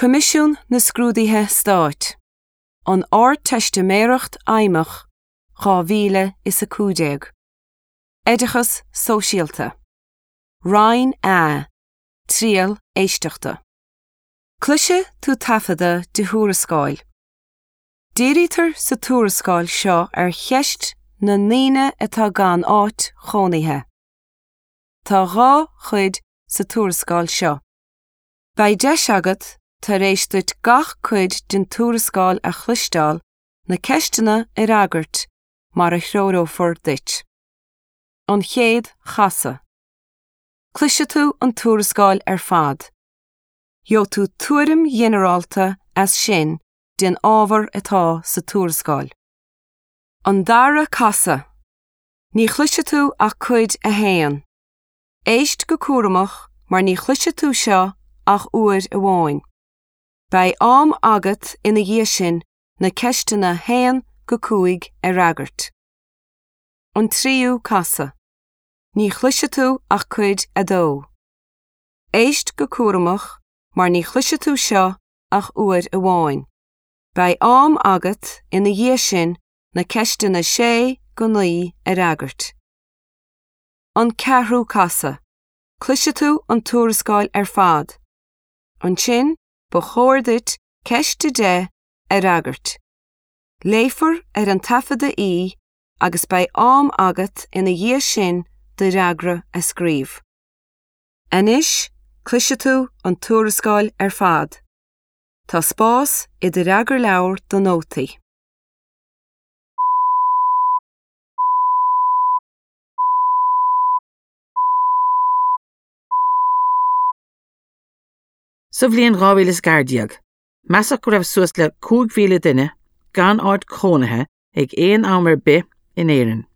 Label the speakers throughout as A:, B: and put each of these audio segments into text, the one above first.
A: Coimisiún na Scrúduithe Stáit, An Ardteistiméireacht Fheidhmeach 2015. Oideachas Sóisialta. Roinn A, Triail Éisteachta. Cloisfidh tú taifeadadh de thuarascáil. Dírítear sa tuarascáil seo ar cheist na ndaoine atá gan áit chónaithe. Tá 2 chuid sa tuarascáil seo. Beidh deis agat, tar éis duit gach cuid den tuarascáil a chloisteáil, na ceisteanna a fhreagairt mar a threorófar duit. An chéad chasadh. Cloisfidh tú an tuarascáil ar fad. Gheobhaidh tú tuairim ghinearálta as sin den ábhar atá sa tuarascáil. An dara casadh. Ní chloisfidh tú ach cuid a haon. Éist go cúramach mar ní chloisfidh tú seo ach uair amháin. Beidh am agat ina dhiaidh sin na ceisteanna 1-5 a fhreagairt. An tríú casadh. Ní chloisfidh tú ach cuid 2. Éist go cúramach mar ní chloisfidh tú seo ach uair amháin. Beidh am agat ina dhiaidh sin na ceisteanna 6-9 a fhreagairt. An ceathrú casadh. Cloisfidh tú an tuarascáil ar fad. Ansin ba chóir duit ceist 10 a fhreagairt. Léifear ar an taifeadadh í agus beidh am agat ina dhiaidh sin do fhreagra a scríobh. Anois cloisfidh tú an tuarascáil ar fad. Tá spás i do fhreagarleabhar do nótaí.
B: Sa bhliain 2014, measadh go raibh suas le 5,000 duine gan áit chónaithe ag aon am ar bith in Éirinn.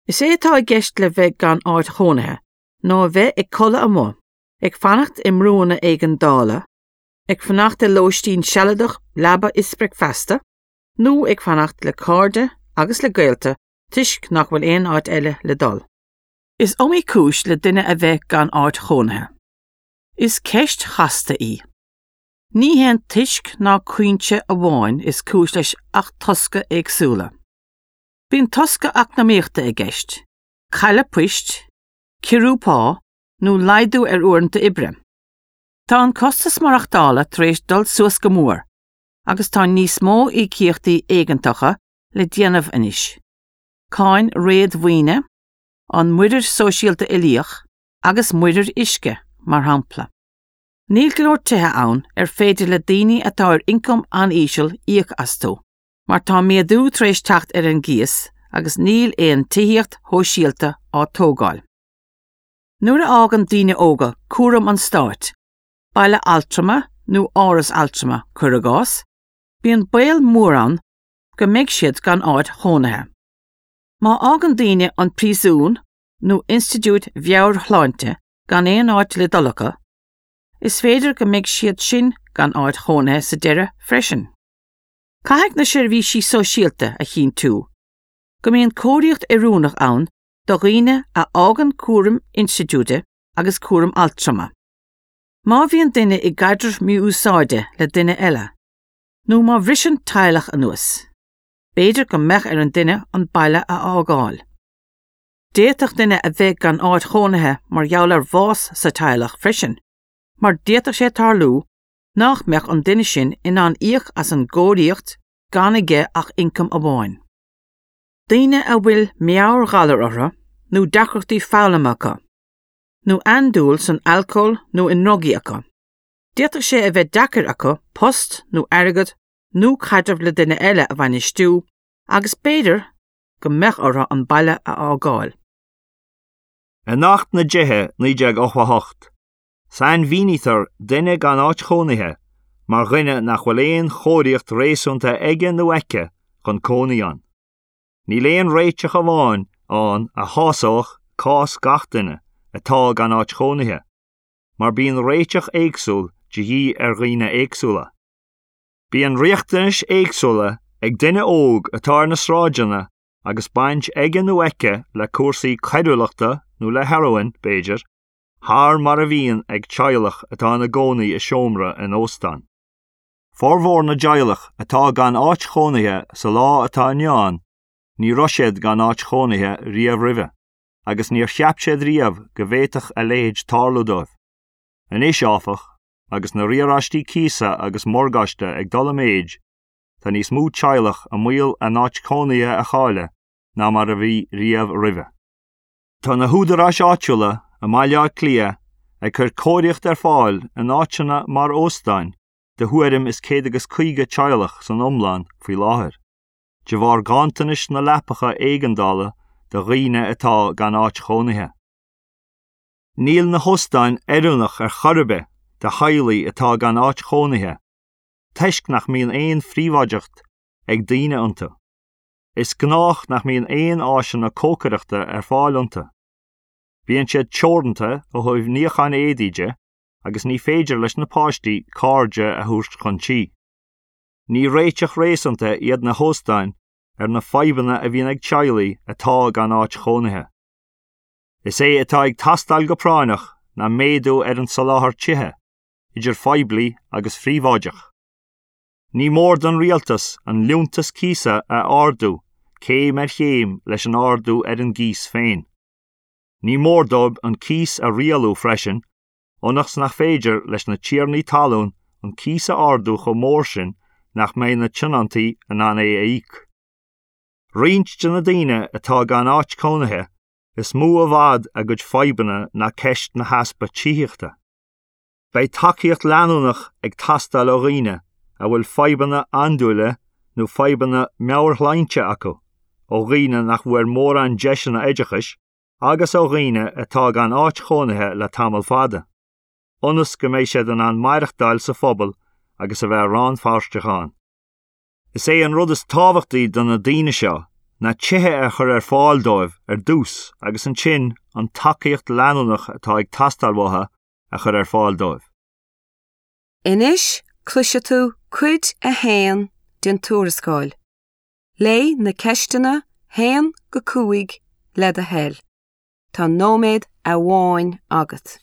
B: Is é atá i gceist le bheith gan áit chónaithe ná a bheith ag codladh amuigh, ag fanacht i mbrúnna éigeandála, ag fanacht i lóistín sealadach leaba is bricfeasta, nó ag fanacht le cairde agus le gaolta toisc nach bhfuil aon áit eile le dul. Is iomaí cúis le duine a bheith gan áit chónaithe. Is ceist chasta í. Ní haon toisc ná cúinse amháin is cúis leis ach tosca éagsúla. Bíonn tosca eacnamaíochta i gceist, cailleadh poist, ciorrú pá nó laghdú ar uaireanta oibre. Tá an costas maireachtála tar éis dul suas go mór agus tá níos mó íocaíochtaí éigeantacha le déanamh anois, cáin réadmhaoine, an muirear sóisialta uilíoch agus muirir uisce, mar shampla. Níl go leor tithe ann ar féidir le daoine atá ar ioncam an-íseal íoc astu, mar tá méadú tar éis teacht ar an gcíos agus níl aon tithíocht shóisialta á tógáil. Nuair a fhágann daoine óga cúram an stáit, baile altrama nó áras altrama, cuir i gcás, bíonn baol mór ann go mbeidh siad gan áit chónaithe. Má fhágann daoine an príosún nó institiúid mheabhairshláinte gan aon áit le dul acu, is féidir go mbeidh siad sin gan áit chónaithe sa deireadh freisin. Caithfidh na seirbhísí sóisialta a chinntiú go mbíonn cóiríocht oiriúnach ann do dhaoine a fhágann cúram institiúide agus cúram altrama. Má bhíonn duine i gcaidreamh mí-úsáide le duine eile, nó má bhriseann teaghlach anuas, b'fhéidir go mbeadh ar an duine an baile a fhágáil. D'fhéadfadh duine a bheith gan áit chónaithe mar gheall ar bhás sa teaghlach freisin, mar d'fhéadfadh sé tarlú nach mbeadh an duine sin in ann íoc as an gcóiríocht gan aige ach ioncam amháin. Daoine a bhfuil meabhairghalar orthu nó deacrachtaí foghlama acu, nó andúil san alcól nó i ndrugaí acu. D'fhéadfadh sé a bheith deacair acu post nó airgead nó caidreamh le duine eile a bhainistiú agus b'fhéidir go mbeadh orthu an baile a fhágáil.
C: In Acht na dTithe 1988, sainmhínítear duine gan áit chónaithe mar dhuine nach bhfuil aon chóiríocht réasúnta aige nó aici chun cónaí ann. Níl aon réiteach amháin ann a shásódh cás gach duine atá gan áit chónaithe. mar bíonn réiteach éagsúil de dhíth ar dhaoine éagsúla. Bíonn riachtanais éagsúla ag duine óg atá ar na sráideanna agus baint aige nó aici le cúrsaí coiriúlachta nó le hearóin, b'fhéidir, thar mar a bhíonn ag teaghlach atá ina gcónaí i seomra in óstán. Formhór na dteaghlach atá gan áit chónaithe sa lá atá inniu ann, ní raibh siad gan áit chónaithe riamh roimhe, agus níor cheap siad riamh go bhféadfadh a leithéid tarlú dóibh. Anois, áfach, agus na riaráistí cíosa agus morgáiste ag dul i méid, tá níos mó teaghlach i mbaol a n-áit chónaithe a chailleadh ná mar a bhí riamh roimhe. Tá na húdaráis áitiúla i mBaile Átha Cliath ag cur cóiríocht ar fáil in áiteanna mar óstáin do thuairim is 150 teaghlach san iomlán faoi láthair, de bharr ganntanais na leapacha éigeandála do dhaoine atá gan áit chónaithe. Níl na hóstáin oiriúnach ar chor ar bith do theaghlaigh atá gan áit chónaithe, toisc nach mbíonn aon phríobháideacht ag daoine iontu. Is gnách nach mbíonn aon áiseanna cócaireachta ar fáil iontu. Bíonn siad teoranta ó thaobh níochán éadaí de agus ní féidir leis na páistí cairde a thabhairt chun tí. Ní réiteach réasúnta iad na hóstáin ar na fadhbanna a bhíonn ag teaghlaigh atá gan áit chónaithe. Is é atá ag teastáil go práinneach ná méadú ar an soláthar tithe, idir phoiblí agus phríobháideach. Ní mór don rialtas an liúntas cíosa a ardú céim ar chéim leis an ardú ar an gcíos féin. Ní mór dóibh an cíos a rialú freisin ionas nach féidir leis na tiarnaí talún an cíos a ardú chomh mór sin nach mbeidh na tionóntaí in ann é a íoc. Roinnt de na daoine atá gan áit cónaithe, is mó i bhfad a gcuid fadhbanna ná ceist na heaspa tithíochta. Beidh tacaíocht leanúnach ag teastáil ó dhaoine a bhfuil fadhbanna andúile nó fadhbanna meabhairshláinte acu, ó dhaoine nach bhfuair mórán deiseanna oideachais agus ó dhaoine atá gan áit chónaithe le tamall fada, ionas go mbeidh siad in ann maireachtáil sa phobal agus a bheith rannpháirteach ann. Is é an rud is tábhachtaí do na daoine seo ná tithe a chur ar fáil dóibh ar dtús agus ansin an tacaíocht leanúnach atá ag teastáil uathu a chur ar fáil dóibh.
A: Anois cloisfidh tú cuid a haon den tuarascáil. Léigh na ceisteanna 1-5 le do thoil. Tá nóiméad amháin agat.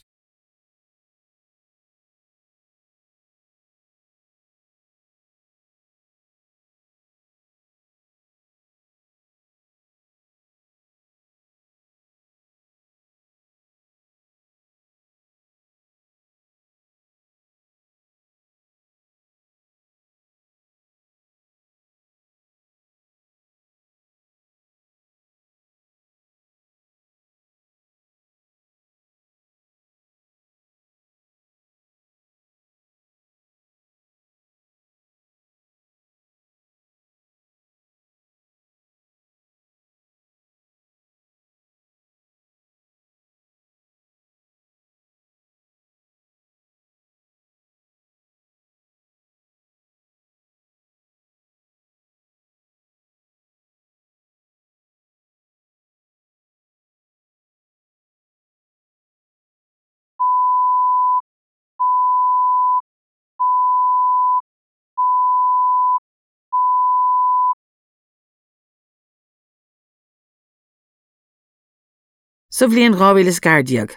B: Sa bhliain 2014,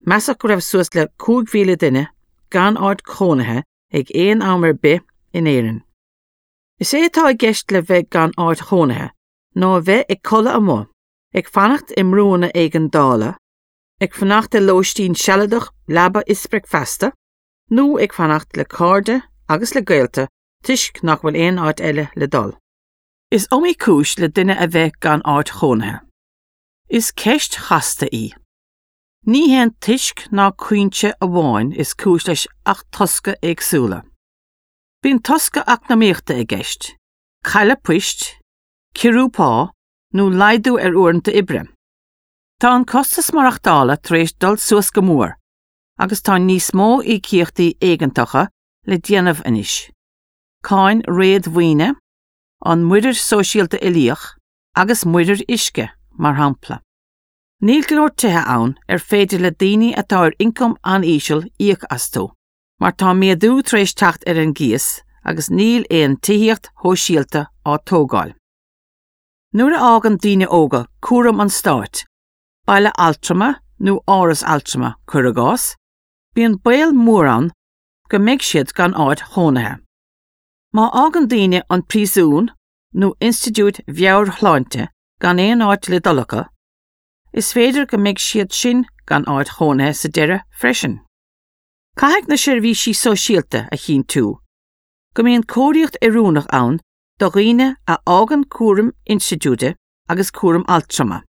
B: measadh go raibh suas le 5,000 duine gan áit chónaithe ag aon am ar bith in Éirinn. Is é atá i gceist le bheith gan áit chónaithe ná a bheith ag codladh amuigh, ag fanacht i mbrúanna éigeandála, ag fanacht i lóistín sealadach leaba is bricfeasta, nó ag fanacht le cairde agus le gaolta toisc nach bhfuil aon áit eile le dul. Is iomaí cúis le duine a bheith gan áit chónaithe. Is ceist chasta í. Ní haon toisc ná cúinse amháin is cúis leis ach tosca éagsúla. Bíonn tosca eacnamaíochta i gceist, cailleadh poist, ciorrú pá nó laghdú ar uaireanta oibre. Tá an costas maireachtála tar éis dul suas go mór agus tá níos mó íocaíochtaí éigeantacha le déanamh anois, cáin réadmhaoine, an muirear sóisialta uilíoch, agus muirir uisce, mar shampla. Níl go leor tithe ann ar féidir le daoine atá ar ioncam an-íseal íoc astu, mar tá méadú tar éis teacht ar an gcíos agus níl aon tithíocht shóisialta á tógáil. Nuair a fhágann daoine óga cúram an stáit, baile altrama nó áras altrama, cuir i gcás, bíonn baol mór ann go mbeidh siad gan áit chónaithe. Má fhágann daoine an príosún nó institiúid mheabhairshláinte gan aon áit le dul acu, is féidir go mbeidh siad sin gan áit chónaithe sa deireadh freisin. Caithfidh na seirbhísí sóisialta a chinntiú go mbíonn cóiríocht oiriúnach ann do dhaoine a fhágann cúram institiúide agus cúram altrama.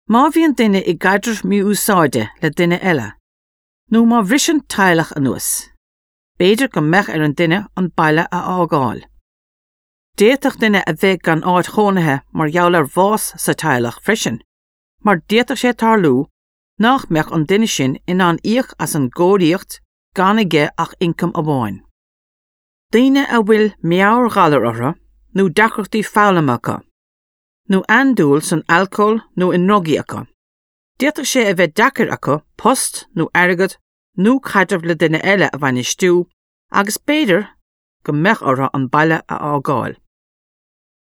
B: Má bhíonn duine i gcaidreamh mí-úsáide le duine eile, nó má bhriseann teaghlach anuas, b'fhéidir go mbeadh ar an duine an baile a fhágáil. D'fhéadfadh duine a bheith gan áit chónaithe mar gheall ar bhás sa teaghlach freisin, mar d'fhéadfadh sé tarlú nach mbeadh an duine sin in ann íoc as an gcóiríocht gan aige ach ioncam amháin. Daoine a bhfuil meabhairghalar orthu nó deacrachtaí foghlama acu, nó andúil san alcól nó i ndrugaí acu, d'fhéadfadh sé a bheith deacair acu post nó airgead nó caidreamh le duine eile a bhainistiú agus b'fhéidir go mbeadh orthu an baile a fhágáil.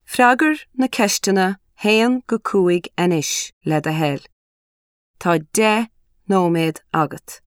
A: Freagair na ceisteanna 1-5 anois, le do thoil. Tá 10 nóiméad agat.